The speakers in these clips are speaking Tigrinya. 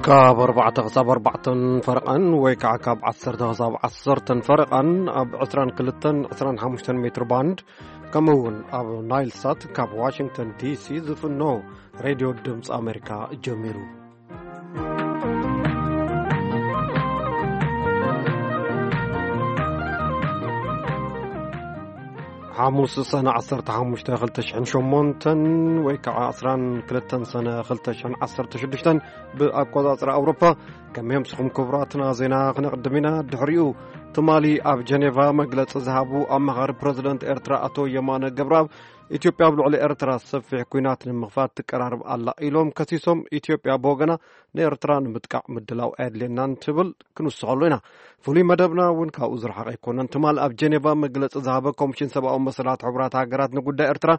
ካብ ኣርባዕተ ክሳብ ኣርባዕተን ፈረቓን ወይ ከዓ ካብ ዓሰርተ ክሳብ ዓሰርተን ፈረቓን ኣብ ዕስራን ክልተን ዕስራን ሓሙሽተን ሜትር ባንድ፣ ከምኡ እውን ኣብ ናይል ሳት ካብ ዋሽንግተን ዲ ሲ ዝፍኖ ሬድዮ ድምፂ ኣሜሪካ ጀሚሩ። ሓሙስ ሰነ ዓሰርተ ሓሙሽተ ክልተ ሽሕን ሸሞንተን ወይ ከዓ ዕስራን ክልተን ሰነ ክልተ ሽሕን ዓሰርተ ሽዱሽተን ብኣቆጻጽራ ኣውሮፓ። ከመይ ኣምስኹም ክቡራትና፣ ዜና ክነቕድም ኢና። ድሕሪኡ ትማሊ ኣብ ጀኔቫ መግለጺ ዝሃቡ ኣማኻሪ ፕረዚደንት ኤርትራ ኣቶ የማነ ገብረኣብ፣ ኢትዮጵያ ኣብ ልዕሊ ኤርትራ ሰፊሕ ኲናት ንምኽፋት ትቀራርብ ኣላ ኢሎም ከሲሶም፣ ኢትዮጵያ ብወገና ንኤርትራ ንምጥቃዕ ምድላው ኣየድልየናን ትብል። ክንውስኸሉ ኢና። ፍሉይ መደብና እውን ካብኡ ዝረሓቐ ኣይኮነን። ትማል ኣብ ጀኔቫ መግለጺ ዝሃበ ኮሚሽን ሰብኣዊ መሰላት ሕቡራት ሃገራት ንጉዳይ ኤርትራ፣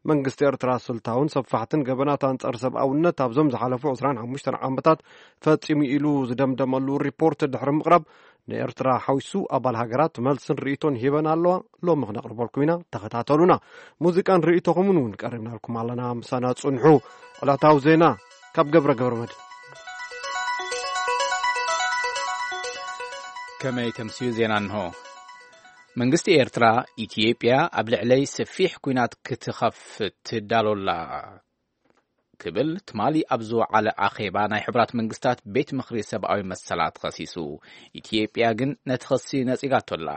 መንግስቲ ኤርትራ ስልታውን ሰፋሕትን ገበናት ኣንጻር ሰብኣውነት ኣብዞም ዝሓለፉ ዕስራን ሓሙሽተን ዓመታት ፈጺሙ ኢሉ ዝደምደመሉ ሪፖርት ድሕሪ ምቕራብ፣ ንኤርትራ ሓዊሱ ኣባል ሃገራት መልስን ርእይቶን ሂበን ኣለዋ። ሎሚ ክነቕርበልኩም ኢና፣ ተኸታተሉና። ሙዚቃን ርእይቶኹምን እውን ቀሪብናልኩም ኣለና። ምሳና ጽንሑ። ዕለታዊ ዜና ካብ ገብረ ገብረ መድህን። ከመይ ተምስዩ ዜና እንሆ። መንግስቲ ኤርትራ፣ ኢትዮጵያ ኣብ ልዕለይ ሰፊሕ ኲናት ክትኸፍት ትዳሎላ ክብል ትማሊ ኣብ ዝወዓለ ኣኼባ ናይ ሕቡራት መንግስታት ቤት ምኽሪ ሰብኣዊ መሰላት ኸሲሱ። ኢትዮጵያ ግን ነቲ ኸሲ ነጺጋቶላ።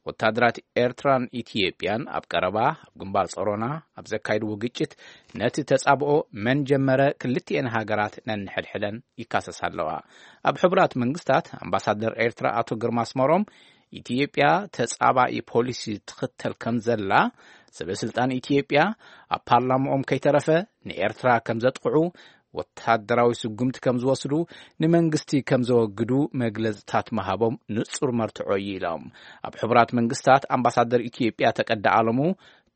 ወታደራት ኤርትራን ኢትዮጵያን ኣብ ቀረባ ኣብ ግንባር ጾሮና ኣብ ዘካይድዎ ግጭት፣ ነቲ ተጻብኦ መን ጀመረ ክልቲኤን ሃገራት ነንሕድሕደን ይካሰሳ ኣለዋ። ኣብ ሕቡራት መንግስታት ኣምባሳደር ኤርትራ ኣቶ ግርማ ኣስመሮም፣ ኢትዮጵያ ተጻባኢ ፖሊሲ ትኽተል ከም ዘላ፣ ሰበ ስልጣን ኢትዮጵያ ኣብ ፓርላማኦም ከይተረፈ ንኤርትራ ከም ዘጥቕዑ፣ ወታደራዊ ስጉምቲ ከም ዝወስዱ፣ ንመንግስቲ ከም ዘወግዱ መግለጽታት ምሃቦም ንጹር መርትዖ እዩ ኢሎም። ኣብ ሕቡራት መንግስታት ኣምባሳደር ኢትዮጵያ ተቀዳ ኣለሙ፣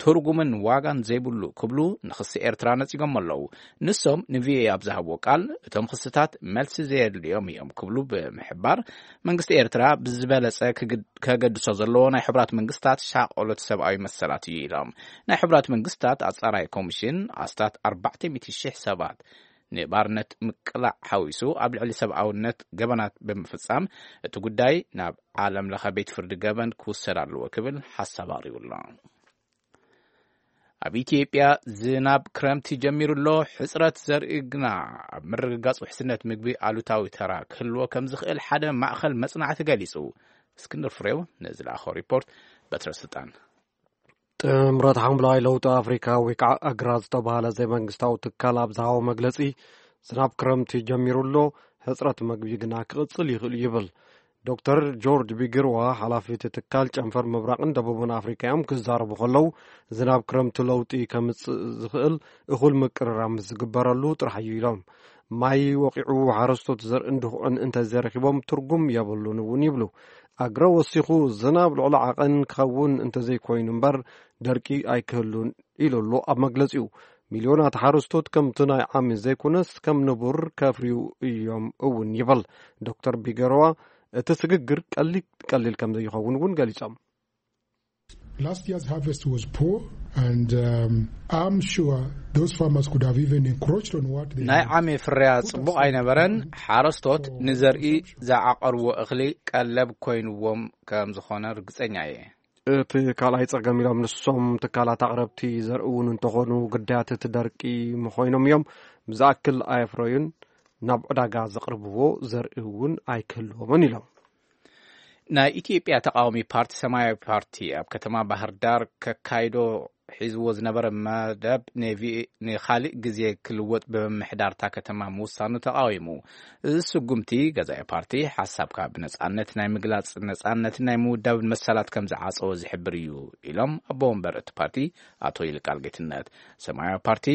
ትርጉምን ዋጋን ዘይብሉ ክብሉ ንኽሲ ኤርትራ ነጺጎም ኣለዉ። ንሶም ንቪኦኤ ኣብ ዝሃብዎ ቃል፣ እቶም ክስታት መልሲ ዘየድልዮም እዮም ክብሉ ብምሕባር፣ መንግስቲ ኤርትራ ብዝበለጸ ክግድ-፣ ከገድሶ ዘለዎ ናይ ሕቡራት መንግስታት ሻቐሎት ሰብኣዊ መሰላት እዩ ኢሎም። ናይ ሕቡራት መንግስታት ኣጻራይ ኮሚሽን ኣስታት ኣርባዕተ ሚእቲ ሽሕ ሰባት ንባርነት ምቅላዕ ሓዊሱ ኣብ ልዕሊ ሰብኣውነት ገበናት ብምፍጻም፣ እቲ ጉዳይ ናብ ዓለም ለኸ ቤት ፍርዲ ገበን ክውሰድ ኣለዎ ክብል ሓሳብ ኣቕሪቡ ኣሎ። ኣብ ኢትዮጵያ ዝናብ ክረምቲ ጀሚሩ ኣሎ። ሕጽረት ዘርኢ ግና ኣብ ምርግጋጽ ውሕስነት ምግቢ ኣሉታዊ ተራ ክህልዎ ከም ዝኽእል ሓደ ማእኸል መጽናዕቲ ገሊጹ። እስክንድር ፍሬው ነዚ ለኣኾ ሪፖርት በትረ ስልጣን። ጥምረት ሓምላይ ለውጢ ኣፍሪካ ወይ ከዓ ኣግራ ዝተባሃለ ዘይመንግስታዊ ትካል ኣብ ዝሃቦ መግለጺ፣ ዝናብ ክረምቲ ጀሚሩ ኣሎ፣ ሕጽረት መግቢ ግና ክቕጽል ይኽእል ይብል። ዶክተር ጆርጅ ቢግርዋ፣ ሓላፊ እቲ ትካል፣ ጨንፈር ምብራቕን ደቡብን ኣፍሪካ እዮም። ክዛረቡ ከለዉ፣ ዝናብ ክረምቲ ለውጢ ከምጽእ ዝኽእል እኹል ምቅርራብ ምስ ዝግበረሉ ጥራሕ እዩ ኢሎም። ማይ ወቂዑ ሓረስቶት ዘርእን ድኹዕን እንተዘይረኺቦም ትርጉም የብሉን እውን ይብሉ። ኣግረ ወሲኹ፣ ዝናብ ልዕሊ ዓቐን ክኸውን እንተዘይኮይኑ እምበር፣ ደርቂ ኣይክህሉን ኢሉ ኣሎ ኣብ መግለጺኡ። ሚልዮናት ሓረስቶት ከምቲ ናይ ዓሚ ዘይኮነስ ከም ንቡር ከፍርዩ እዮም እውን ይብል ዶክተር ቢገሮዋ። እቲ ስግግር ቀሊል ቀሊል ከም ዘይኸውን እውን ገሊጾም። Last year's harvest was poor, and, um, I'm sure those farmers could have even encroached on what they ናይ had. ዓሚ ፍርያ ጽቡቕ ኣይነበረን። ሓረስቶት ንዘርኢ ዝዓቐርዎ እኽሊ ቀለብ ኮይንዎም ከም ዝኾነ ርግጸኛ እየ። እቲ ካልኣይ ጸገም ኢሎም ንሶም ትካላት ኣቕረብቲ ዘርኢ እውን እንተኾኑ ግዳያት እቲ ደርቂ ምኾይኖም እዮም። ብዝኣክል ኣየፍረዩን፣ ናብ ዕዳጋ ዘቕርብዎ ዘርኢ እውን ኣይክህልዎምን ኢሎም። ናይ ኢትዮጵያ ተቃዋሚ ፓርቲ ሰማያዊ ፓርቲ ኣብ ከተማ ባህር ዳር ከካይዶ ሒዝዎ ዝነበረ መደብ ንቪ-፣ ንኻሊእ ግዜ ክልወጥ ብምምሕዳር እታ ከተማ ምውሳኑ ተቃዊሙ። እዚ ስጉምቲ ገዛኢ ፓርቲ ሓሳብካ ብነጻነት ናይ ምግላጽ ነጻነትን ናይ ምውዳብን መሰላት ከም ዝዓጸወ ዝሕብር እዩ ኢሎም ኣቦ ወንበር እቲ ፓርቲ ኣቶ ይልቃል ጌትነት። ሰማያዊ ፓርቲ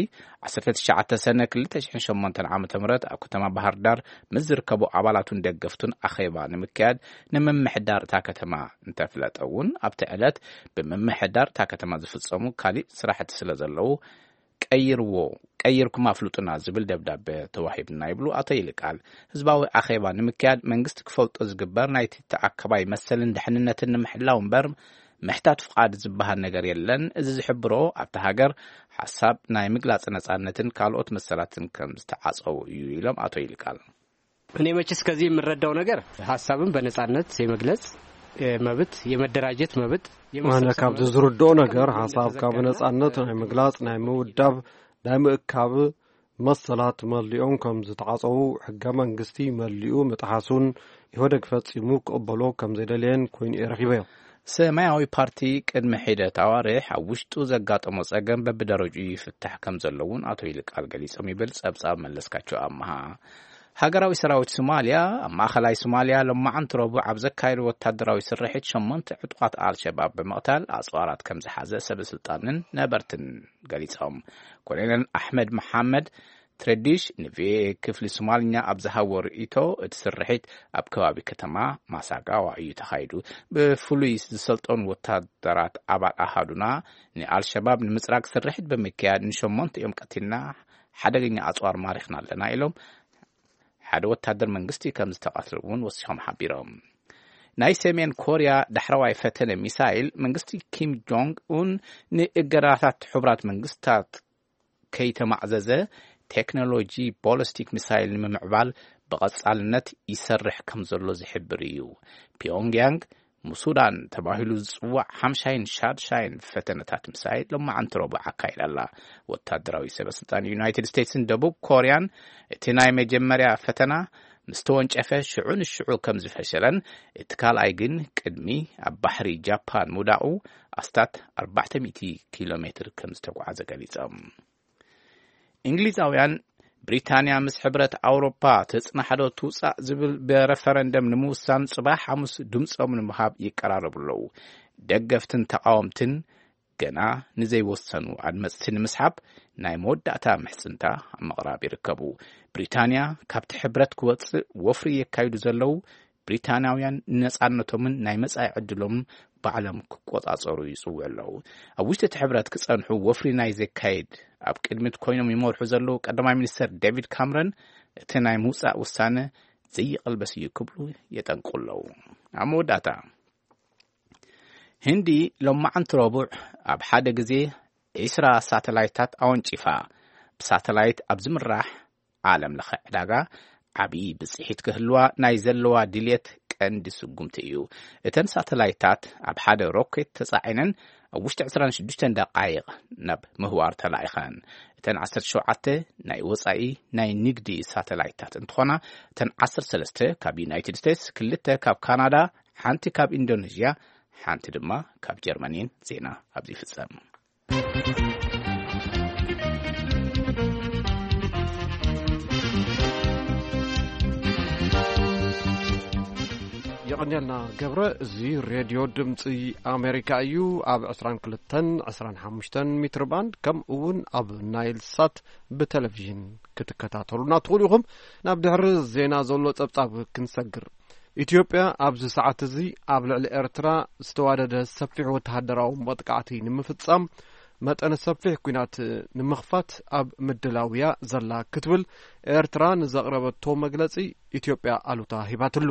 ዓሰርተ ትሽዓተ ሰነ ክልተ ሽሕን ሸሞንተን ዓመተ ምህረት ኣብ ከተማ ባህር ዳር ምስ ዝርከቡ ኣባላቱን ደገፍቱን ኣኼባ ንምክያድ ንምምሕዳር እታ ከተማ እንተፍለጠ እውን፣ ኣብቲ ዕለት ብምምሕዳር እታ ከተማ ዝፍጸሙ ካሊእ ስራሕቲ ስለ ዘለዉ ቀይርዎ፣ ቀይርኩም ኣፍልጡና ዝብል ደብዳበ ተዋሂብና ይብሉ ኣቶ ይልቃል። ህዝባዊ ኣኼባ ንምክያድ መንግስቲ ክፈልጦ ዝግበር ናይቲ ተኣከባይ መሰልን ድሕንነትን ንምሕላው እምበር ምሕታት ፍቓድ ዝበሃል ነገር የለን። እዚ ዝሕብሮ ኣብቲ ሃገር ሓሳብ ናይ ምግላጽ ነጻነትን ካልኦት መሰላትን ከም ዝተዓጸዉ እዩ ኢሎም ኣቶ ይልቃል። እኔ መቼስ ከዚህ የምረዳው ነገር ሀሳብን በነጻነት የመግለጽ መብት፣ የመደራጀት መብት የመሰብሰብ መብት፣ ካብዚ ዝርድኦ ነገር፣ ሐሳብካ ብነጻነት ናይ ምግላጽ፣ ናይ ምውዳብ፣ ናይ ምእካብ መሰላት መሊኦም ከም ዝተዓጸዉ፣ ሕገ መንግስቲ መሊኡ ምጥሓሱን ኢህወደግ ፈጺሙ ክቕበሎ ከም ዘይደለየን ኮይኑ እየ ረኺበዮ። ሰማያዊ ፓርቲ ቅድሚ ሒደት ኣዋርሕ ኣብ ውሽጡ ዘጋጠሞ ጸገም በብደረጅኡ ይፍታሕ ከም ዘሎ እውን ኣቶ ይልቃል ገሊጾም ይብል ጸብጻብ መለስካቸው ኣመሃ። ሃገራዊ ሰራዊት ሶማልያ ኣብ ማእኸላይ ሶማልያ ሎማዓንቲ ረቡዕ ኣብ ዘካየዶ ወታደራዊ ስርሒት ሸሞንተ ዕጡቓት ኣልሸባብ ብምቕታል ኣጽዋራት ከም ዝሓዘ ሰበ ስልጣንን ነበርትን ገሊጾም። ኮሎኔል ኣሕመድ መሓመድ ትረዲሽ ንቪኦኤ ክፍሊ ሶማልኛ ኣብ ዝሃቦ ርእይቶ፣ እቲ ስርሒት ኣብ ከባቢ ከተማ ማሳጋዋ እዩ ተኻይዱ። ብፍሉይ ዝሰልጠኑ ወታደራት ኣባል ኣሃዱና ንኣልሸባብ ንምጽራግ ስርሒት ብምክያድ ንሸሞንተ እዮም ቀቲልና፣ ሓደገኛ ኣጽዋር ማሪኽና ኣለና ኢሎም። ሓደ ወታደር መንግስቲ ከም ዝተቐትለ እውን ወሲኾም ሓቢሮም። ናይ ሰሜን ኮርያ ዳሕረዋይ ፈተነ ሚሳይል መንግስቲ ኪም ጆንግ ኡን ንእገዳታት ሕቡራት መንግስታት ከይተማዕዘዘ ቴክኖሎጂ ቦሊስቲክ ሚሳይል ንምምዕባል ብቐጻልነት ይሰርሕ ከም ዘሎ ዝሕብር እዩ። ፒዮንግያንግ ሙሱዳን ተባሂሉ ዝጽዋዕ ሓምሻይን ሻድሻይን ፈተነታት ሚሳይል ሎማዓንቲ ረቡዕ ኣካይዳ ኣላ። ወታደራዊ ሰበ ስልጣን ዩናይትድ ስቴትስን ደቡብ ኮርያን እቲ ናይ መጀመርያ ፈተና ምስ ተወንጨፈ ሽዑ ንሽዑ ከም ዝፈሸለን እቲ ካልኣይ ግን ቅድሚ ኣብ ባሕሪ ጃፓን ምውዳቑ ኣስታት ኣርባዕተ ሚእቲ ኪሎ ሜትር ከም ዝተጓዓዘ ገሊጾም። እንግሊዛውያን ብሪታንያ ምስ ሕብረት ኣውሮፓ ተጽናሕዶ ትውጻእ ዝብል ብረፈረንደም ንምውሳን ጽባሕ ሓሙስ ድምጾም ንምሃብ ይቀራረቡ ኣለዉ። ደገፍትን ተቓወምትን ገና ንዘይወሰኑ ኣድመጽቲ ንምስሓብ ናይ መወዳእታ ምሕጽንታ ኣብ ምቕራብ ይርከቡ። ብሪታንያ ካብቲ ሕብረት ክወጽእ ወፍሪ የካይዱ ዘለዉ ብሪታንያውያን ንነጻነቶምን ናይ መጻኢ ዕድሎምን ባዕሎም ክቆጻጸሩ ይጽውዑ ኣለዉ። ኣብ ውሽጢ እቲ ሕብረት ክጸንሑ ወፍሪ ናይ ዘካየድ ኣብ ቅድሚት ኮይኖም ይመርሑ ዘለዉ ቀዳማይ ሚኒስተር ዴቪድ ካምረን እቲ ናይ ምውጻእ ውሳነ ዘይቕልበስ እዩ ክብሉ የጠንቅቑ ኣለዉ። ኣብ መወዳእታ ህንዲ ሎማዓንቲ ረቡዕ ኣብ ሓደ ግዜ ዒስራ ሳተላይታት ኣወንጪፋ። ብሳተላይት ኣብ ዝምራሕ ዓለም ለኸ ዕዳጋ ዓቢ ብጽሒት ክህልዋ ናይ ዘለዋ ድልየት ቀንዲ ስጉምቲ እዩ። እተን ሳተላይታት ኣብ ሓደ ሮኬት ተጻዒነን ኣብ ውሽጢ ዕስራን ሽዱሽተን ደቃይቕ ናብ ምህዋር ተላኢኸን። እተን ዓሰርተ ሸውዓተ ናይ ወጻኢ ናይ ንግዲ ሳተላይታት እንትኾና፣ እተን ዓሰርተ ሰለስተ ካብ ዩናይትድ ስቴትስ፣ ክልተ ካብ ካናዳ፣ ሓንቲ ካብ ኢንዶኔዥያ፣ ሓንቲ ድማ ካብ ጀርመን እየን። ዜና ኣብዚ ይፍጸም። የቐንየልና ገብረ። እዚ ሬድዮ ድምፂ ኣሜሪካ እዩ። ኣብ ዕስራን ክልተን ዕስራን ሓሙሽተን ሜትር ባንድ ከምኡ እውን ኣብ ናይል ሳት ብቴሌቪዥን ክትከታተሉና ትኽእሉ ኢኹም። ናብ ድሕሪ ዜና ዘሎ ጸብጻብ ክንሰግር። ኢትዮጵያ ኣብዚ ሰዓት እዚ ኣብ ልዕሊ ኤርትራ ዝተዋደደ ሰፊሕ ወተሃደራዊ መጥቃዕቲ ንምፍጻም መጠነ ሰፊሕ ኲናት ንምኽፋት ኣብ ምድላው እያ ዘላ ክትብል ኤርትራ ንዘቕረበቶ መግለጺ ኢትዮጵያ ኣሉታ ሂባትሉ።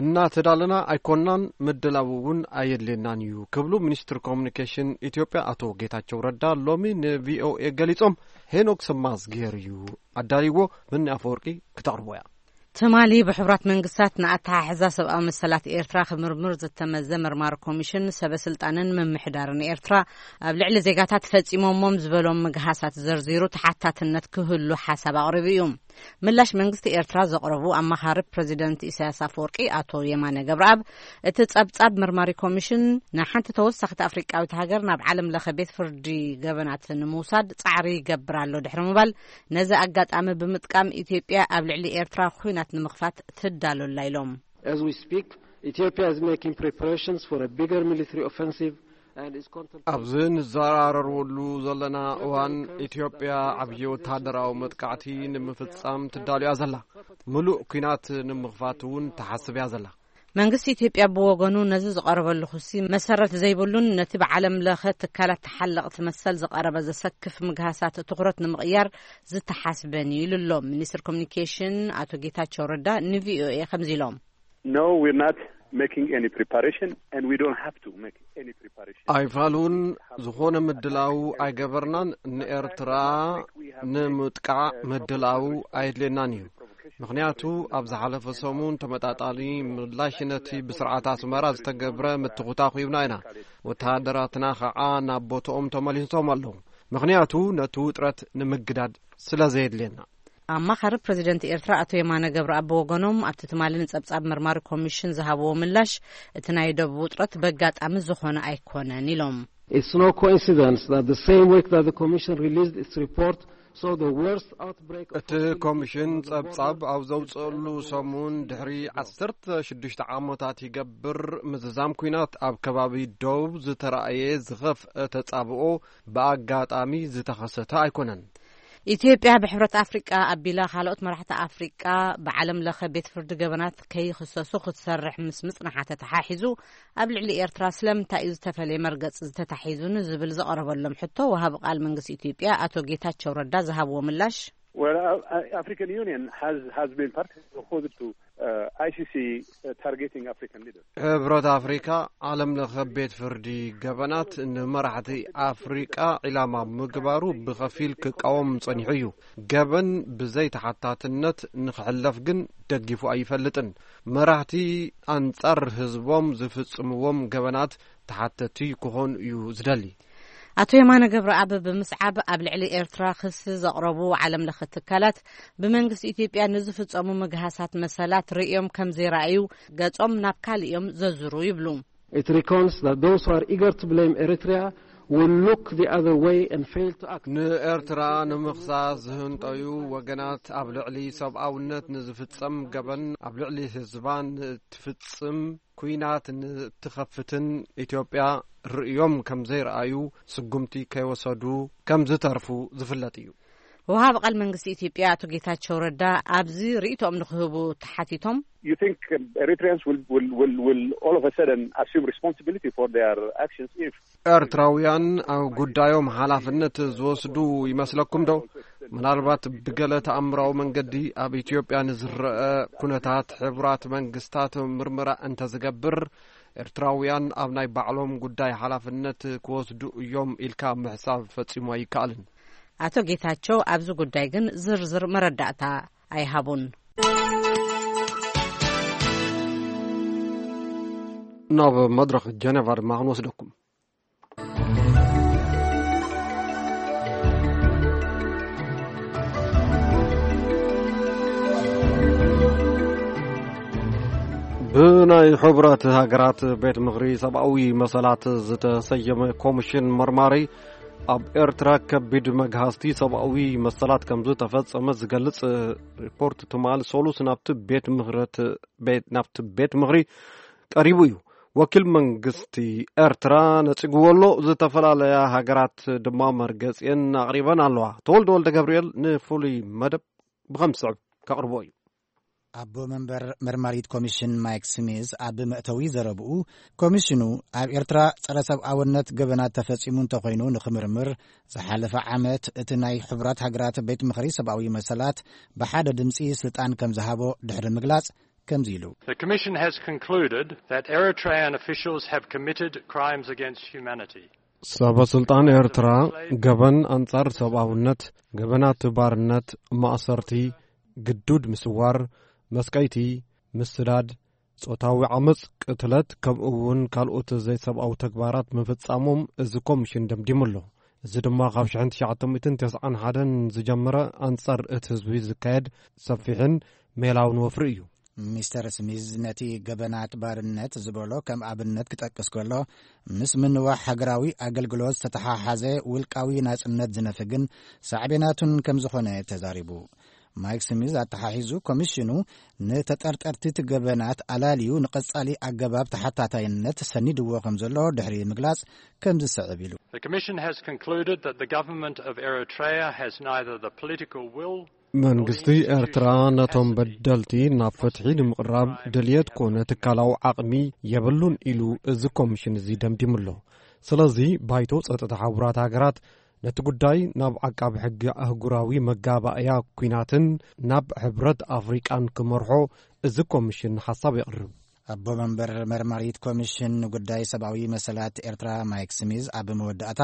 እናተዳለና ኣይኮናን፣ ምድላው እውን ኣየድልየናን እዩ ክብሉ ሚኒስትር ኮሙኒኬሽን ኢትዮጵያ ኣቶ ጌታቸው ረዳ ሎሚ ንቪኦኤ ገሊጾም። ሄኖክ ሰማዝጌር እዩ ኣዳልይዎ። ብኒ ኣፈወርቂ ክተቕርቦ እያ። ትማሊ ብሕቡራት መንግስታት ንኣተሓሕዛ ሰብኣዊ መሰላት ኤርትራ ክምርምር ዝተመዘ መርማሪ ኮሚሽን ሰበ ስልጣንን ምምሕዳርን ኤርትራ ኣብ ልዕሊ ዜጋታት ፈጺሞሞም ዝበሎም ምግሃሳት ዘርዚሩ ተሓታትነት ክህሉ ሓሳብ ኣቕሪቡ እዩ። ምላሽ መንግስቲ ኤርትራ ዘቕረቡ ኣማኻሪ ፕረዚደንት ኢሳያስ ኣፈወርቂ ኣቶ የማነ ገብረኣብ፣ እቲ ጸብጻብ መርማሪ ኮሚሽን ንሓንቲ ተወሳኺት ኣፍሪቃዊት ሃገር ናብ ዓለም ለኸ ቤት ፍርዲ ገበናት ንምውሳድ ጻዕሪ ይገብር ኣሎ ድሕሪ ምባል፣ ነዚ ኣጋጣሚ ብምጥቃም ኢትዮጵያ ኣብ ልዕሊ ኤርትራ ኲናት ንምኽፋት ትዳሎ ኣላ ኢሎም። As we speak, Ethiopia is making preparations for a bigger military offensive and is contemplating ኣብዚ ንዘራረበሉ ዘለና እዋን ኢትዮጵያ ዓብዪ ወተሃደራዊ መጥቃዕቲ ንምፍጻም ትዳሎ እያ ዘላ። ምሉእ ኲናት ንምኽፋት እውን ትሓስብ እያ ዘላ። መንግስቲ ኢትዮጵያ ብወገኑ ነዚ ዝቐረበሉ ክሲ መሰረት ዘይብሉን ነቲ ብዓለም ለኸ ትካላት ተሓለቕቲ መሰል ዝቐረበ ዘሰክፍ ምግሃሳት ትኹረት ንምቕያር ዝተሓስበን እዩ ኢሉ ኣሎ። ሚኒስትር ኮሙኒኬሽን ኣቶ ጌታቸው ረዳ ንቪኦኤ ከምዚ ኢሎም። No, we're not making any preparation and we don't have to make any preparation. ኣይፋሉን ዝኾነ ምድላው ኣይገበርናን። ንኤርትራ ንምጥቃዕ ምድላው ኣየድልየናን እዩ። ምኽንያቱ ኣብ ዝሓለፈ ሰሙን ተመጣጣኒ ምላሽ ነቲ ብስርዓት ኣስመራ ዝተገብረ ምትኹታኹ ሂብና ኢና። ወተሃደራትና ኸዓ ናብ ቦትኦም ተመሊሶም ኣለዉ። ምኽንያቱ ነቲ ውጥረት ንምግዳድ ስለ ዘየድልየና። ኣማኻሪ ፕረዚደንት ኤርትራ ኣቶ የማነ ገብረኣብ ብወገኖም ኣብቲ ትማሊ ንጸብጻብ መርማሪ ኮሚሽን ዝሃብዎ ምላሽ፣ እቲ ናይ ደቡብ ውጥረት በጋጣሚ ዝኾነ ኣይኮነን ኢሎም። It's no coincidence that the same week that the Commission released its report saw the worst outbreak of እቲ ኮሚሽን ጸብጻብ ኣብ ዘውጽእሉ ሰሙን ድሕሪ ዓሰርተ ሽዱሽተ ዓመታት ይገብር ምዝዛም ኲናት ኣብ ከባቢ ደቡብ ዝተራእየ ዝኸፍአ ተጻብኦ ብኣጋጣሚ ዝተኸሰተ ኣይኮነን። ኢትዮጵያ ብሕብረት ኣፍሪቃ ኣቢላ ካልኦት መራሕቲ ኣፍሪቃ ብዓለም ለኸ ቤት ፍርዲ ገበናት ከይኽሰሱ ክትሰርሕ ምስ ምጽንሓ ተተሓሒዙ፣ ኣብ ልዕሊ ኤርትራ ስለምንታይ እዩ ዝተፈለየ መርገጺ ዝተታሒዙ ንዝብል ዝቐረበሎም ሕቶ፣ ወሃቢ ቃል መንግስቲ ኢትዮጵያ ኣቶ ጌታቸው ረዳ ዝሃብዎ ምላሽ፣ Well, uh, uh, African Union has, has been particularly opposed to uh, I C C uh, targeting African leaders. ሕብረት ኣፍሪካ ዓለም ለኸ ቤት ፍርዲ ገበናት ንመራሕቲ ኣፍሪቃ ዒላማ ምግባሩ ብኸፊል ክቃወም ጸኒሑ እዩ። ገበን ብዘይ ተሓታትነት ንኽሕለፍ ግን ደጊፉ ኣይፈልጥን። መራሕቲ ኣንጻር ህዝቦም ዝፍጽምዎም ገበናት ተሓተቲ ክኾኑ እዩ ዝደሊ። ኣቶ የማነ ገብረኣብ ብምስዓብ፣ ኣብ ልዕሊ ኤርትራ ክሲ ዘቕረቡ ዓለም ለኸ ትካላት ብመንግስቲ ኢትዮጵያ ንዝፍጸሙ ምግሃሳት መሰላት ርእዮም ከም ዘይረኣዩ ገጾም ናብ ካልእ እዮም ዘዙሩ ይብሉ። It reckons that those who are eager to blame Eritrea will look the other way and fail to act. ንኤርትራ ንምኽሳስ ዝህንጠዩ ወገናት ኣብ ልዕሊ ሰብኣውነት ንዝፍጸም ገበን፣ ኣብ ልዕሊ ህዝባ ንትፍጽም ኲናት ንትኸፍትን ኢትዮጵያ ርእዮም ከም ዘይረኣዩ ስጉምቲ ከይወሰዱ ከም ዝተርፉ ዝፍለጥ እዩ። ወሃቢ ቃል መንግስቲ ኢትዮጵያ ኣቶ ጌታቸው ረዳ ኣብዚ ርእይቶኦም ንክህቡ ተሓቲቶም፣ You think um, Eritreans will, will, will, will all of a sudden assume responsibility for their actions if ኤርትራውያን ኣብ ጉዳዮም ሓላፍነት ዝወስዱ ይመስለኩም ዶ? ምናልባት ብገለ ተኣምራዊ መንገዲ ኣብ ኢትዮጵያ ንዝረአ ኩነታት ሕቡራት መንግስታት ምርመራ እንተዝገብር፣ ኤርትራውያን ኣብ ናይ ባዕሎም ጉዳይ ሓላፍነት ክወስዱ እዮም ኢልካ ምሕሳብ ፈጺሙ ኣይከኣልን። ኣቶ ጌታቸው ኣብዚ ጉዳይ ግን ዝርዝር መረዳእታ ኣይሃቡን። ናብ መድረኽ ጀነቫ ድማ ክንወስደኩም። ብናይ ሕቡራት ሃገራት ቤት ምኽሪ ሰብኣዊ መሰላት ዝተሰየመ ኮሚሽን መርማሪ ኣብ ኤርትራ ከቢድ መግሃስቲ ሰብኣዊ መሰላት ከም ዝተፈጸመ ዝገልጽ ሪፖርት ትማሊ ሰሉስ ናብቲ ቤት ምኽረት ቤት ናብቲ ቤት ምኽሪ ቀሪቡ እዩ። ወኪል መንግስቲ ኤርትራ ነጺግዎ ኣሎ። ዝተፈላለያ ሃገራት ድማ መርገጺኤን ኣቕሪበን ኣለዋ። ተወልደ ወልደ ገብርኤል ንፍሉይ መደብ ብኸም ዝስዕብ ከቕርቦ እዩ። ኣቦ መንበር መርማሪት ኮሚሽን ማይክ ስሚዝ ኣብ መእተዊ ዘረብኡ፣ ኮሚሽኑ ኣብ ኤርትራ ጸረ ሰብኣውነት ገበናት ተፈጺሙ እንተኾይኑ ንኽምርምር ዝሓለፈ ዓመት እቲ ናይ ሕቡራት ሃገራት ቤት ምኽሪ ሰብኣዊ መሰላት ብሓደ ድምጺ ስልጣን ከም ዝሃቦ ድሕሪ ምግላጽ ከምዚ ኢሉ። The Commission has concluded that Eritrean officials have committed crimes against humanity. ሰበ ስልጣን ኤርትራ ገበን ኣንጻር ሰብኣውነት፣ ገበናት ባርነት፣ ማእሰርቲ፣ ግዱድ ምስዋር፣ መስቀይቲ፣ ምስዳድ፣ ጾታዊ ዓመጽ፣ ቅትለት፣ ከምኡ እውን ካልኦት ዘይሰብኣዊ ተግባራት ምፍጻሞም እዚ ኮሚሽን ደምዲሙ ኣሎ። እዚ ድማ ካብ ሽሕን ትሽዓተ ሚእትን ተስዓን ሓደን ዝጀመረ ኣንጻር እቲ ህዝቢ ዝካየድ ሰፊሕን ሜላውን ወፍሪ እዩ። ሚስተር ስሚዝ ነቲ ገበናት ባርነት ዝበሎ ከም ኣብነት ክጠቅስ ከሎ፣ ምስ ምንዋሕ ሃገራዊ ኣገልግሎት ዝተተሓሓዘ ውልቃዊ ናጽነት ዝነፍግን ሳዕቤናቱን ከም ዝኾነ ተዛሪቡ። ማይክ ስሚዝ ኣተሓሒዙ፣ ኮሚሽኑ ንተጠርጠርቲ እቲ ገበናት ኣላልዩ ንቐጻሊ ኣገባብ ተሓታታይነት ሰኒድዎ ከም ዘሎ ድሕሪ ምግላጽ ከም ዝስዕብ ኢሉ። The Commission has concluded that the government of Eritrea has neither the political will መንግስቲ ኤርትራ ነቶም በደልቲ ናብ ፍትሒ ንምቕራብ ድልየት ኮነ ትካላዊ ዓቕሚ የብሉን ኢሉ እዚ ኮሚሽን እዚ ደምዲሙ ኣሎ። ስለዚ ባይቶ ጸጥታ ሕቡራት ሃገራት ነቲ ጉዳይ ናብ ዓቃቢ ሕጊ ኣህጉራዊ መጋባእያ ኲናትን ናብ ሕብረት ኣፍሪቃን ክመርሖ እዚ ኮሚሽን ሓሳብ የቕርብ። ኣቦ መንበር መርማሪት ኮሚሽን ንጉዳይ ሰብኣዊ መሰላት ኤርትራ ማይክ ስሚዝ ኣብ መወዳእታ፣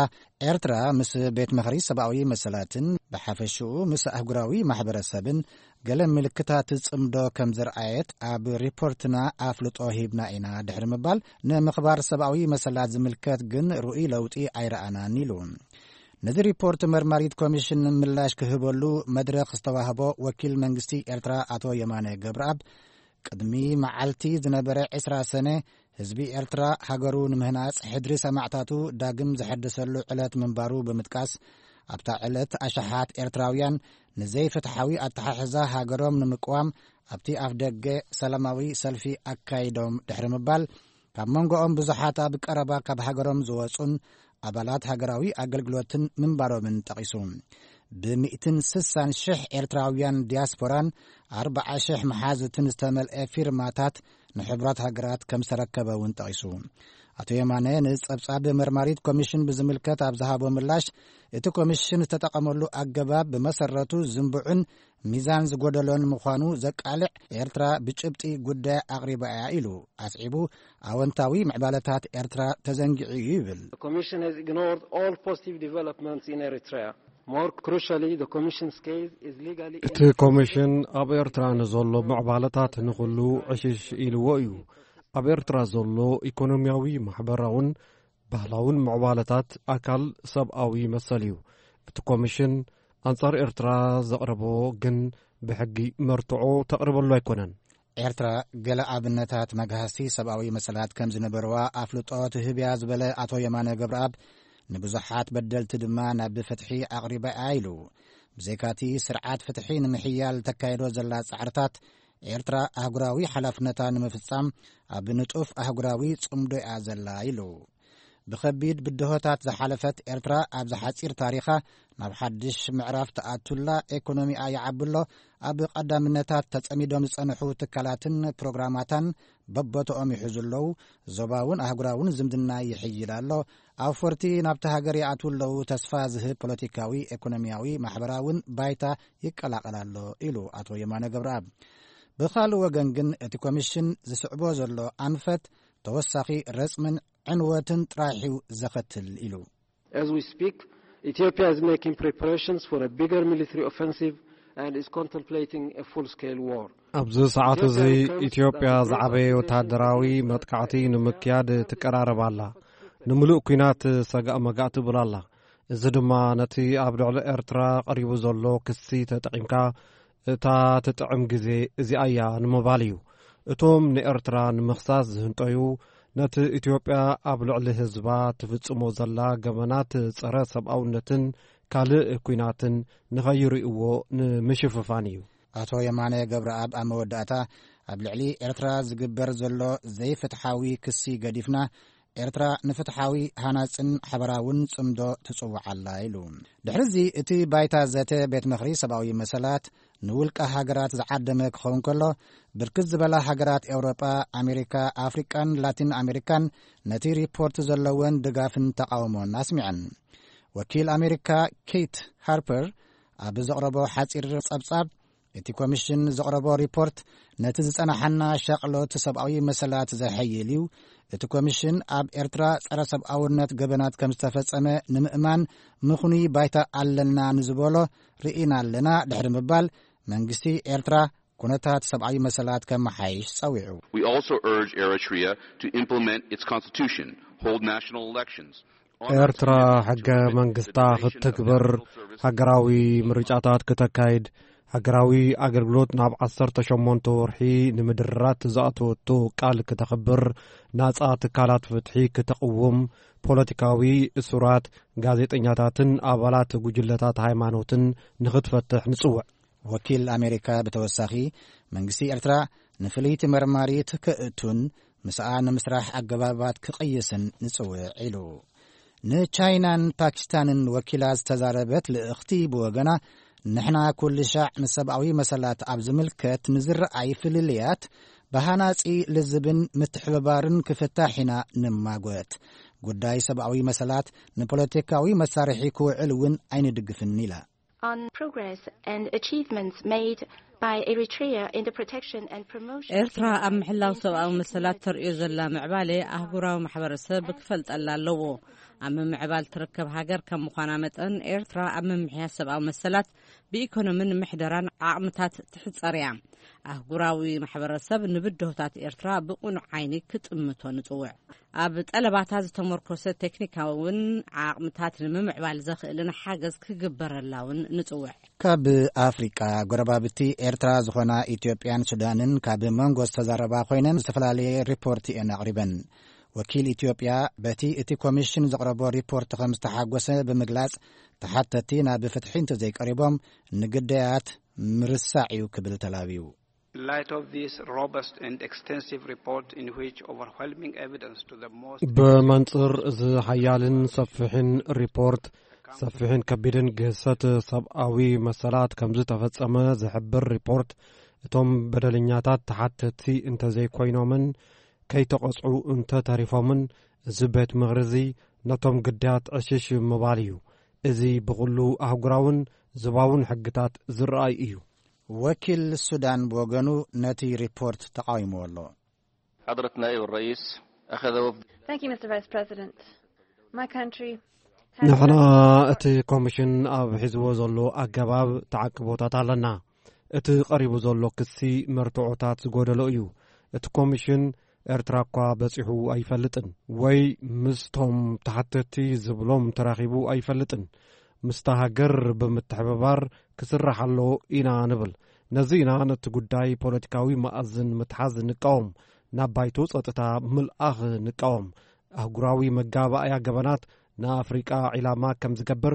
ኤርትራ ምስ ቤት ምኽሪ ሰብኣዊ መሰላትን ብሓፈሽኡ ምስ ኣህጉራዊ ማሕበረሰብን ገለ ምልክታት ጽምዶ ከም ዘርኣየት ኣብ ሪፖርትና ኣፍልጦ ሂብና ኢና ድሕሪ ምባል፣ ንምኽባር ሰብኣዊ መሰላት ዝምልከት ግን ርኡይ ለውጢ ኣይረኣናን ኢሉ። ነዚ ሪፖርት መርማሪት ኮሚሽን ምላሽ ክህበሉ መድረኽ ዝተዋህቦ ወኪል መንግስቲ ኤርትራ ኣቶ የማነ ገብረኣብ፣ ቅድሚ መዓልቲ ዝነበረ ዕስራ ሰነ ህዝቢ ኤርትራ ሃገሩ ንምህናጽ ሕድሪ ሰማዕታቱ ዳግም ዘሐደሰሉ ዕለት ምንባሩ ብምጥቃስ፣ ኣብታ ዕለት ኣሽሓት ኤርትራውያን ንዘይፍትሓዊ ኣተሓሕዛ ሃገሮም ንምቅዋም ኣብቲ ኣፍ ደገ ሰላማዊ ሰልፊ ኣካይዶም ድሕሪ ምባል፣ ካብ መንጎኦም ብዙሓት ኣብ ቀረባ ካብ ሃገሮም ዝወጹን ኣባላት ሃገራዊ ኣገልግሎትን ምንባሮምን ጠቒሱ። ብ ሚእትን ስሳን ሽሕ ኤርትራውያን ዲያስፖራን ኣርብዓ ሽሕ መሓዝትን ዝተመልአ ፊርማታት ንሕቡራት ሃገራት ከም ዝተረከበ እውን ጠቒሱ። ኣቶ የማነ ንጸብጻብ መርማሪት ኮሚሽን ብዝምልከት ኣብ ዝሃቦ ምላሽ፣ እቲ ኮሚሽን ዝተጠቐመሉ ኣገባብ ብመሰረቱ ዝንቡዕን ሚዛን ዝጎደሎን ምዃኑ ዘቃልዕ፣ ኤርትራ ብጭብጢ ጉዳይ ኣቕሪባ እያ ኢሉ። ኣስዒቡ፣ ኣወንታዊ ምዕባለታት ኤርትራ ተዘንጊዑ እዩ ይብል። The Commission has ignored all positive developments in Eritrea. More crucially, the Commission's case is legally እቲ ኮሚሽን ኣብ ኤርትራ ንዘሎ ምዕባለታት ንኹሉ ዕሽሽ ኢልዎ እዩ። ኣብ ኤርትራ ዘሎ ኢኮኖሚያዊ፣ ማሕበራውን ባህላውን ምዕባለታት ኣካል ሰብኣዊ መሰል እዩ። እቲ ኮሚሽን ኣንጻር ኤርትራ ዘቕረቦ ግን ብሕጊ መርትዖ ተቕርበሉ ኣይኮነን። ኤርትራ ገለ ኣብነታት መግሃስቲ ሰብኣዊ መሰላት ከም ዝነበርዋ ኣፍልጦ ትህብያ ዝበለ ኣቶ የማነ ገብረኣብ፣ ንብዙሓት በደልቲ ድማ ናብ ፍትሒ ኣቕሪባ እያ ኢሉ። ብዘይካቲ ስርዓት ፍትሒ ንምሕያል ተካይዶ ዘላ ጻዕርታት፣ ኤርትራ ኣህጉራዊ ሓላፍነታ ንምፍጻም ኣብ ንጡፍ ኣህጉራዊ ጽምዶ እያ ዘላ ኢሉ። ብኸቢድ ብድሆታት ዝሓለፈት ኤርትራ ኣብዚ ሓጺር ታሪኻ ናብ ሓድሽ ምዕራፍ ትኣቱላ፣ ኤኮኖሚኣ ይዓብሎ፣ ኣብ ቀዳምነታት ተጸሚዶም ዝጸንሑ ትካላትን ፕሮግራማታን በቦቶኦም ይሕዙ ኣለዉ፣ ዞባውን ኣህጉራውን ዝምድና ይሕይል ኣሎ፣ ኣውፈርቲ ናብቲ ሃገር ይኣትዉ ኣለዉ፣ ተስፋ ዝህብ ፖለቲካዊ፣ ኤኮኖሚያዊ፣ ማሕበራውን ባይታ ይቀላቐል ኣሎ ኢሉ ኣቶ የማነ ገብረኣብ። ብኻልእ ወገን ግን እቲ ኮሚሽን ዝስዕቦ ዘሎ ኣንፈት ተወሳኺ ረጽምን ዕንወትን ጥራይ እዩ ዘኸትል ኢሉ። As we speak, Ethiopia is making preparations for a bigger military offensive and is contemplating a full-scale war. ኣብዚ ሰዓት እዚ ኢትዮጵያ ዝዓበየ ወታደራዊ መጥቃዕቲ ንምክያድ ትቀራረብ ኣላ። ንምሉእ ኲናት ሰጋእ መጋእ ትብል ኣላ። እዚ ድማ ነቲ ኣብ ልዕሊ ኤርትራ ቀሪቡ ዘሎ ክሲ ተጠቒምካ እታ ትጥዕም ግዜ እዚኣ እያ ንምባል እዩ። እቶም ንኤርትራ ንምኽሳስ ዝህንጠዩ ነቲ ኢትዮጵያ ኣብ ልዕሊ ህዝባ ትፍጽሞ ዘላ ገበናት ጸረ ሰብኣውነትን ካልእ ኲናትን ንኸይርእይዎ ንምሽፍፋን እዩ። ኣቶ የማነ ገብረኣብ ኣብ መወዳእታ፣ ኣብ ልዕሊ ኤርትራ ዝግበር ዘሎ ዘይፍትሓዊ ክሲ ገዲፍና፣ ኤርትራ ንፍትሓዊ ሃናጽን ሓበራውን ጽምዶ ትጽውዕ ኣላ ኢሉ። ድሕሪዚ እቲ ባይታ ዘተ ቤት ምኽሪ ሰብኣዊ መሰላት ንውልቀ ሃገራት ዝዓደመ ክኸውን ከሎ፣ ብርክት ዝበላ ሃገራት ኤውሮጳ፣ ኣሜሪካ፣ ኣፍሪቃን ላቲን ኣሜሪካን ነቲ ሪፖርት ዘለወን ድጋፍን ተቓውሞን ኣስሚዐን። ወኪል ኣሜሪካ ኬት ሃርፐር ኣብ ዘቕረቦ ሓጺር ጸብጻብ፣ እቲ ኮሚሽን ዘቕረቦ ሪፖርት ነቲ ዝጸናሓና ሻቕሎት ሰብኣዊ መሰላት ዘሐይል እዩ። እቲ ኮሚሽን ኣብ ኤርትራ ጸረ ሰብኣውነት ገበናት ከም ዝተፈጸመ ንምእማን ምኽኑይ ባይታ ኣለና ንዝበሎ ርኢና ኣለና ድሕሪ ምባል፣ መንግስቲ ኤርትራ ኩነታት ሰብኣዊ መሰላት ከመሓይሽ ጸዊዑ። We also urge Eritrea to implement its constitution, hold national elections, honor its ኤርትራ ሕገ መንግስታ ክትትግብር፣ ሃገራዊ ምርጫታት ክተካይድ፣ ሃገራዊ ኣገልግሎት ናብ ዓሰርተ ሸሞንተ ወርሒ ንምድራት ዝኣተወቶ ቃል ክተኽብር፣ ናጻ ትካላት ፍትሒ ክተቕውም፣ ፖለቲካዊ እሱራት፣ ጋዜጠኛታትን ኣባላት ጉጅለታት ሃይማኖትን ንኽትፈትሕ ንጽውዕ። ወኪል ኣሜሪካ ብተወሳኺ፣ መንግስቲ ኤርትራ ንፍልይቲ መርማሪት ከእቱን ምስኣ ንምስራሕ ኣገባባት ክቕይስን ንጽውዕ ኢሉ። ንቻይናን ፓኪስታንን ወኪላ ዝተዛረበት ልእኽቲ ብወገና፣ ንሕና ኩሉ ሻዕ ንሰብኣዊ መሰላት ኣብ ዝምልከት ንዝረኣይ ፍልልያት ብሃናጺ ልዝብን ምትሕብባርን ክፍታሕ ኢና ንማጎት። ጉዳይ ሰብኣዊ መሰላት ንፖለቲካዊ መሳርሒ ክውዕል እውን ኣይንድግፍን ኢላ። On progress and achievements made by Eritrea in the protection and promotion of ኤርትራ ኣብ ምሕላው ሰብኣዊ መሰላት ተርእዮ ዘላ ምዕባለ ኣህጉራዊ ማሕበረሰብ ክፈልጠላ ኣለዎ። ኣብ ምምዕባል ትርከብ ሃገር ከም ምዃና መጠን፣ ኤርትራ ኣብ ምምሕያሽ ሰብኣዊ መሰላት ብኢኮኖምን ምሕደራን ዓቕምታት ትሕጸር እያ። ኣህጉራዊ ማሕበረሰብ ንብድሆታት ኤርትራ ብቕኑዕ ዓይኒ ክጥምቶ ንጽውዕ። ኣብ ጠለባታ ዝተመርኮሰ ቴክኒካውን ዓቕምታት ንምምዕባል ዘኽእልን ሓገዝ ክግበረላ እውን ንጽውዕ። ካብ ኣፍሪቃ ጎረባብቲ ኤርትራ ዝኾና ኢትዮጵያን ሱዳንን ካብ መንጎ ዝተዛረባ ኮይነን ዝተፈላለየ ሪፖርት እየን ኣቕሪበን። ወኪል ኢትዮጵያ በቲ እቲ ኮሚሽን ዘቕረቦ ሪፖርት ከም ዝተሓጎሰ ብምግላጽ፣ ተሓተቲ ናብ ፍትሒ እንተዘይቀሪቦም ንግዳያት ምርሳዕ እዩ ክብል ተላብዩ። In light of this robust and extensive report in which overwhelming evidence to the most ብመንጽር እዚ ሓያልን ሰፊሕን ሪፖርት፣ ሰፊሕን ከቢድን ግህሰት ሰብኣዊ መሰላት ከም ዝተፈጸመ ዝሕብር ሪፖርት፣ እቶም በደለኛታት ተሓተቲ እንተዘይኮይኖምን ከይተቐጽዑ እንተተሪፎምን፣ እዚ ቤት ምኽሪ እዚ ነቶም ግዳያት ዕሽሽ ምባል እዩ። እዚ ብኹሉ ኣህጉራውን ዞባውን ሕግታት ዝረኣይ እዩ። ወኪል ሱዳን ብወገኑ ነቲ ሪፖርት ተቓዊምዎ ኣሎ። حضرة نائب الرئيس أخذ وفد Thank you, Mister Vice President. My country has ንሕና እቲ ኮሚሽን ኣብ ሒዝዎ ዘሎ ኣገባብ ተዓቅቦታት ኣለና። እቲ ቀሪቡ ዘሎ ክሲ መርትዖታት ዝጎደሎ እዩ። እቲ ኮሚሽን ኤርትራ እኳ በጺሑ ኣይፈልጥን ወይ ምስቶም ተሓተቲ ዝብሎም ተራኺቡ ኣይፈልጥን። ምስታ ሃገር ብምትሕብባር ክስራሕ ኣሎ ኢና ንብል። ነዚ ኢና ነቲ ጉዳይ ፖለቲካዊ መኣዝን ምትሓዝ ንቃወም። ናብ ባይቶ ጸጥታ ምልኣኽ ንቃወም። ኣህጉራዊ መጋባእያ ገበናት ንኣፍሪቃ ዒላማ ከም ዝገብር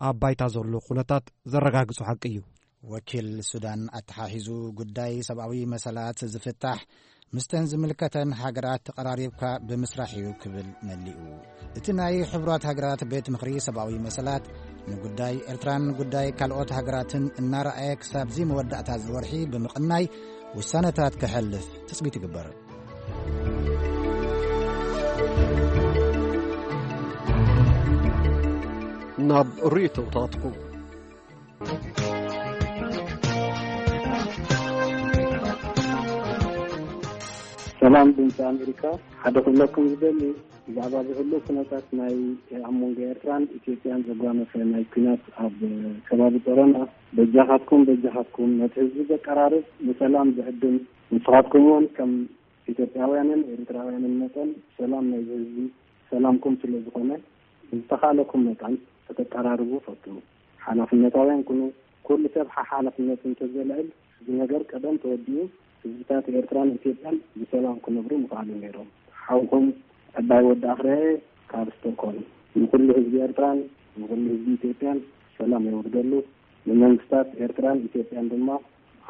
ኣብ ባይታ ዘሎ ኩነታት ዘረጋግጹ ሓቂ እዩ። ወኪል ሱዳን ኣተሓሒዙ፣ ጉዳይ ሰብኣዊ መሰላት ዝፍታሕ ምስተን ዝምልከተን ሃገራት ተቐራሪብካ ብምስራሕ እዩ ክብል መሊኡ። እቲ ናይ ሕቡራት ሃገራት ቤት ምኽሪ ሰብኣዊ መሰላት ንጉዳይ ኤርትራን ጉዳይ ካልኦት ሃገራትን እናረኣየ ክሳብ እዚ መወዳእታ እዚ ወርሒ ብምቕናይ ውሳነታት ከሕልፍ ትጽቢት ይግበር። ናብ ርእይቶታትኩም። ሰላም ድምፂ ኣሜሪካ፣ ሓደ ክብለኩም ዝደሊ ብዛዕባ ዝህሉ ኩነታት ናይ ኣብ መንጎ ኤርትራን ኢትዮጵያን ዘጓነፈ ናይ ኩናት ኣብ ከባቢ ጦሮና፣ በጃኻትኩም በጃኻትኩም ነቲ ህዝቢ ዘቀራርብ ንሰላም ዝዕድም፣ ንስኻትኩም እውን ከም ኢትዮጵያውያንን ኤርትራውያንን መጠን ሰላም ናይዚ ህዝቢ ሰላምኩም ስለ ዝኾነ ብዝተኻእለኩም መጠን ከተቀራርቡ ፈትኑ። ሓላፍነታውያን ኩኑ። ኩሉ ሰብ ሓሓላፍነቱ እንተዘልዕል እዚ ነገር ቀደም ተወዲኡ ህዝብታት ኤርትራን ኢትዮጵያን ብሰላም ክነብሩ ምኽኣሉ ነይሮም። ሓውኩም ዕባይ ወዲ ኣኽርያየ ካብ ስቶክሆልም። ንኩሉ ህዝቢ ኤርትራን ንኩሉ ህዝቢ ኢትዮጵያን ሰላም የውርደሉ። ንመንግስታት ኤርትራን ኢትዮጵያን ድማ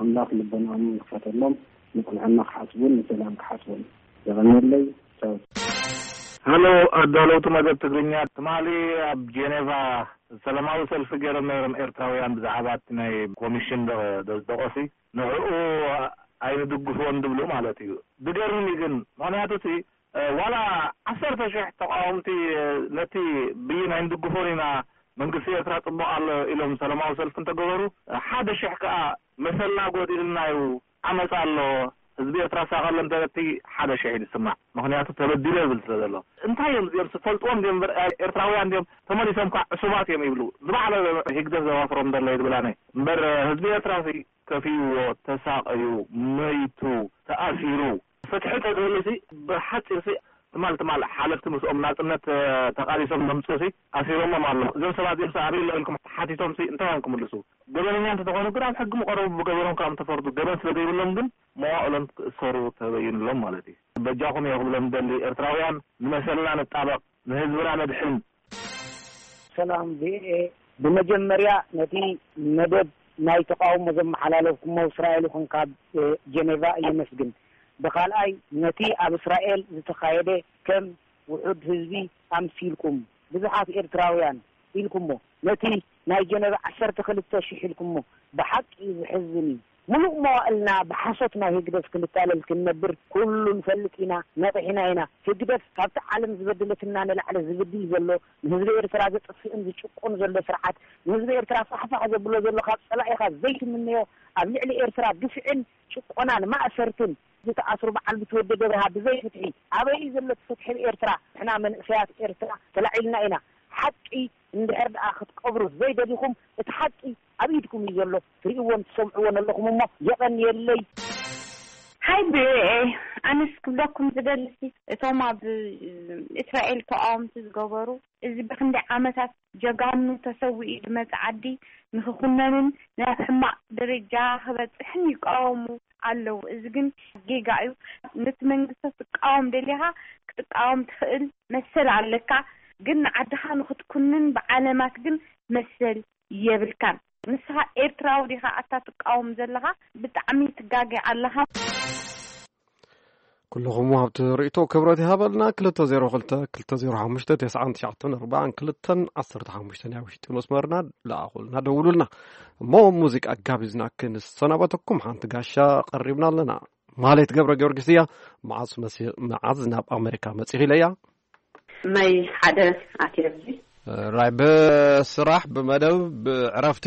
ኣምላኽ ልቦናኦም ይኽፈተሎም፣ ንቕንዕና ክሓስቡን ንሰላም ክሓስቡን። የቐንየለይ። ቻው። ሃሎ ኣዳለውቲ መደብ ትግርኛ፣ ትማሊ ኣብ ጄኔቫ ሰላማዊ ሰልፊ ገይሮም ነይሮም ኤርትራውያን ብዛዕባ እቲ ናይ ኮሚሽን ደ-፣ ደ-፣ ደቆሲ ንዕኡ ኣይንድግፎን ድብሉ ማለት እዩ። ድገርም እዩ ግን ምኽንያቱ እቲ ዋላ ዓሰርተ ሽሕ ተቃወምቲ ነቲ ብይን ኣይንድግፎን ኢና፣ መንግስቲ ኤርትራ ጽቡቕ ኣሎ ኢሎም ሰላማዊ ሰልፊ እንተገበሩ፣ ሓደ ሽሕ ከኣ መሰልና ጎዲልና እዩ፣ ዓመጽ ኣሎ፣ ህዝቢ ኤርትራ ሳቐሎ እንተበቲ ሓደ ሽሕ እዩ ዝስማዕ። ምኽንያቱ ተበዲለ ይብል ስለ ዘሎ። እንታይ እዮም እዚኦም ዝፈልጥዎም ድዮም እምበር፣ ኤርትራውያን ድዮም ተመሊሶም ከኣ ዕሱባት እዮም ይብሉ። ዝባዕለ ህግደፍ ዘዋፍሮም ዘሎ እዩ ዝብል ኣነ። እምበር ህዝቢ ኤርትራ ሲ ከፊዎ፣ ተሳቐዩ፣ መይቱ፣ ተኣሲሩ፣ ፍትሒ ተዝህሉ ሲ ብሓጺር ሲ ትማል ትማል ሓለፍቲ ምስኦም ናጽነት ተቃሊሶም ዘምጽኡ ሲ ኣሲሮሞም ኣለዉ። እዞም ሰባት እዚኦም ሲ ኣበይ ኣሎ ኢልኩም ሓቲቶም ሲ እንታይ እዮም ክምልሱ? ገበነኛ እንተተኾኑ ግን ኣብ ሕጊ ምቐረቡ ብገበኖም ካብ ተፈርዱ ገበን ስለ ዘይብሎም ግን መዋእሎም ክእሰሩ ተበይንሎም ማለት እዩ። በጃኹም እየ ክብሎም ደሊ ኤርትራውያን ንመሰልና ንጣበቕ፣ ንህዝብና ነድሕን። ሰላም ቪኦኤ፣ ብመጀመርያ ነቲ መደብ ናይ ተቃውሞ ዘመሓላለፍኩሞ እስራኤል ይኹን ካብ ጀኔቫ የመስግን። ብኻልኣይ ነቲ ኣብ እስራኤል ዝተኻየደ ከም ውሑድ ህዝቢ ኣምሲልኩም ብዙሓት ኤርትራውያን ኢልኩሞ፣ ነቲ ናይ ጀነቭ ዓሰርተ ክልተ ሽሕ ኢልኩሞ፣ ብሓቂ ዘሕዝን እዩ። ሙሉእ መዋእልና ብሓሶት ናይ ህግደፍ ክንታለል ክንነብር ኩሉ ንፈልጥ ኢና፣ ነቒሕና ኢና። ህግደፍ ካብቲ ዓለም ዝበደለትና ንላዕሊ ዝብድል ዘሎ፣ ንህዝቢ ኤርትራ ዘጥፍእን ዝጭቁን ዘሎ ስርዓት፣ ንህዝቢ ኤርትራ ፋሕፋሕ ዘብሎ ዘሎ፣ ካብ ጸላኢኻ ዘይትምነዮ፣ ኣብ ልዕሊ ኤርትራ ግፍዕን ጭቆናን ማእሰርትን ዝተኣስሩ በዓል ብትወደድ ኣብርሃ ብዘይ ፍትሒ ኣበይ እዩ ዘሎ እቲ ፍትሒ ብኤርትራ? ንሕና መንእሰያት ኤርትራ ተላዒልና ኢና። ሓቂ እንድሕር ደኣ ክትቀብሩ ዘይደሊኹም እቲ ሓቂ ኣብ ኢድኩም እዩ ዘሎ። ትርእይዎን ትሰምዕዎን ኣለኹም እሞ የቐንየለይ። ሃይ ብኤ ኣነስ ክብለኩም ዝደልሲ እቶም ኣብ እስራኤል ተቃወምቲ ዝገበሩ እዚ ብክንደይ ዓመታት ጀጋኑ ተሰዊኡ ዝመጽ ዓዲ ንክኹነንን ናብ ሕማቕ ደረጃ ክበጽሕን ይቃወሙ ኣለዉ። እዚ ግን ጌጋ እዩ። ነቲ መንግስቲ ክትቃወም ደሊኻ ክትቃወም ትኽእል መሰል ኣለካ። ግን ንዓድኻ ንክትኩንን ብዓለማት ግን መሰል የብልካን። ንስኻ ኤርትራዊ ዲኻ ኣታ ትቃወም ዘለኻ? ብጣዕሚ ትጋገ ኣለኻ። ኩልኹም ሃብቲ ርእቶ ክብረት ይሃበልና። ክልተ ዜሮ ክልተ ክልተ ዜሮ ሓሙሽተ ተስዓን ትሽዓተን ኣርባዓን ክልተን ዓሰርተ ሓሙሽተን እያ ውሽጢ መስመርና። ለኣኹልና ደውሉልና። እሞ ሙዚቃ ጋቢዝና ክንሰናበተኩም ሓንቲ ጋሻ ቀሪብና ኣለና። ማህሌት ገብረ ጊዮርጊስ እያ። መዓዝ መሲ- መዓዝ ናብ ኣሜሪካ መጺኺ ኢለያ። መይ ሓደ ኣትየ ኣብዚ ራይ ብስራሕ ብመደብ ብዕረፍቲ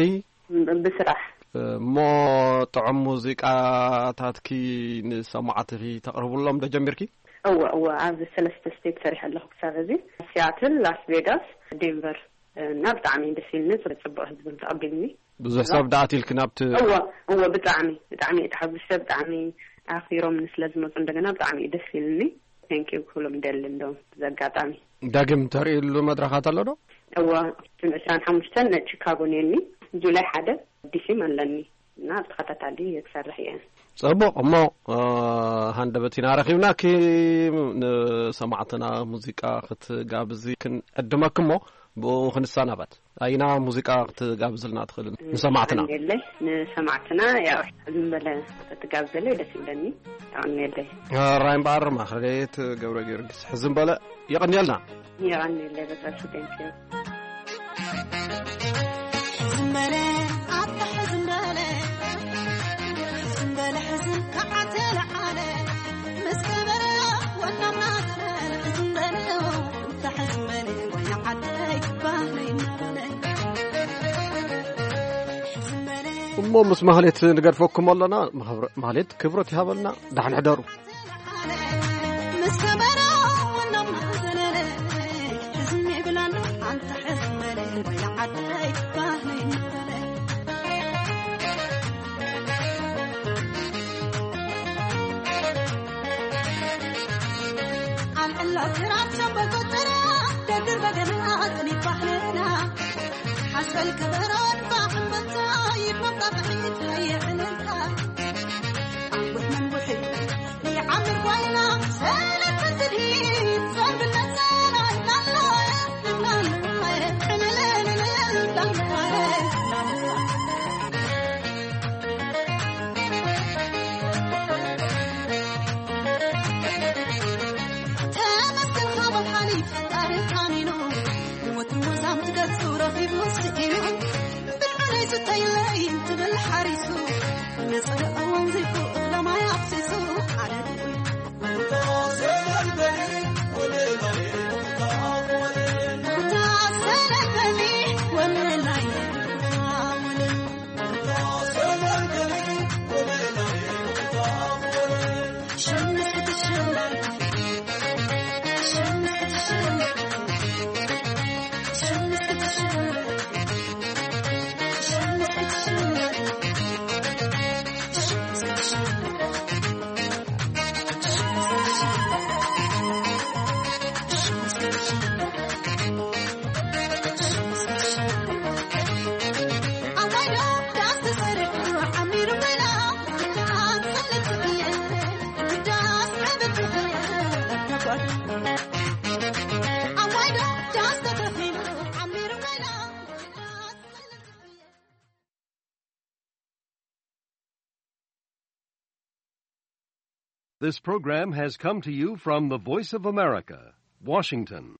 ብስራሕ እሞ ጥዑም ሙዚቃታትኪ ንሰማዕትኺ ተቕርብሎም ዶ ጀሚርኪ? እወ እወ ኣብዚ ሰለስተ ስቴት ሰሪሐ ኣለኹ ክሳብ እዚ ሲያትል፣ ላስ ቬጋስ፣ ዴንቨር እና ብጣዕሚ ደስ ኢልኒ። ጽቡቅ ህዝቢ ተቐቢልኒ። ብዙሕ ሰብ ደኣ ኣትይልኪ ናብቲ እወ እወ ብጣዕሚ ብጣዕሚ እየ ተሓጒሰ። ብጣዕሚ ኣኽቢሮምኒ ስለ ዝመፁ እንደገና ብጣዕሚ እዩ ደስ ኢልኒ። Thank you ክብሎም ይደሊ። እንደውም ብዚ ኣጋጣሚ ዳግም ተርእይሉ መድረኻት ኣሎ ዶ? እወ ጁን ዕስራን ሓሙሽተን ቺካጎ ነኒ፣ ጁላይ ሓደ ዲሲም ኣለኒ እና ብተኸታታሊ ክሰርሕ እየ። ፅቡቕ እሞ ሃንደበት ኢና ረኺብናኪ። ንሰማዕትና ሙዚቃ ክትጋብዚ ክንዕድመኪ እሞ ብኡ ክንሰናበት። ኣይና ሙዚቃ ክትጋብዝልና ትኽእል ንሰማዕትና? የቐንየለይ። ንሰማዕትና ያው ሕዝም በለ ክትጋብዘለይ ደስ ይብለኒ። የቐንየለይ። ራይ እምበኣር ማክሌት ገብረ ጊዮርጊስ ሕዝም በለ። የቐንየልና። የቐንየለይ በጣም። Thank you። ሕዝም በለ ኣታ ሕዝም በለ ሕዝም በለ ሕዝም ከዓ ተለዓለ ምስ ከበረ ወናምና ዘበለ ሕዝም በለ እንተ ሕዝም በለ ወይ ዓደይ ባህለይ እናበለ ሕዝም በለ እሞ ምስ ማህሌት ንገድፈኩም ኣለና። ማህብረ- ማህሌት ክብረት ይሃበልና። ዳሕን ሕደሩ። ምስ ከበሮ ወናምና ዘለለ ሕዝም ይብላሉ ኣንተ ሕዝም በለ ወይ ዓደይ ባህለይ እናበለ ኣልዕላ ክራር ሸምበቆ ጥራ ደግር በገና ጥኒት ባህልና ሓስበል ከበሮ ድፋዕ እምበታ ይድመቕ ጣቕዒት ሃየ ዕልልታ ኣንቡሕ መንቡሒ ይዓምር ጓይላ ሰለተ ትድሂት ጸንብለት ሰላይ ላላ This program has come to you from the Voice of America, Washington.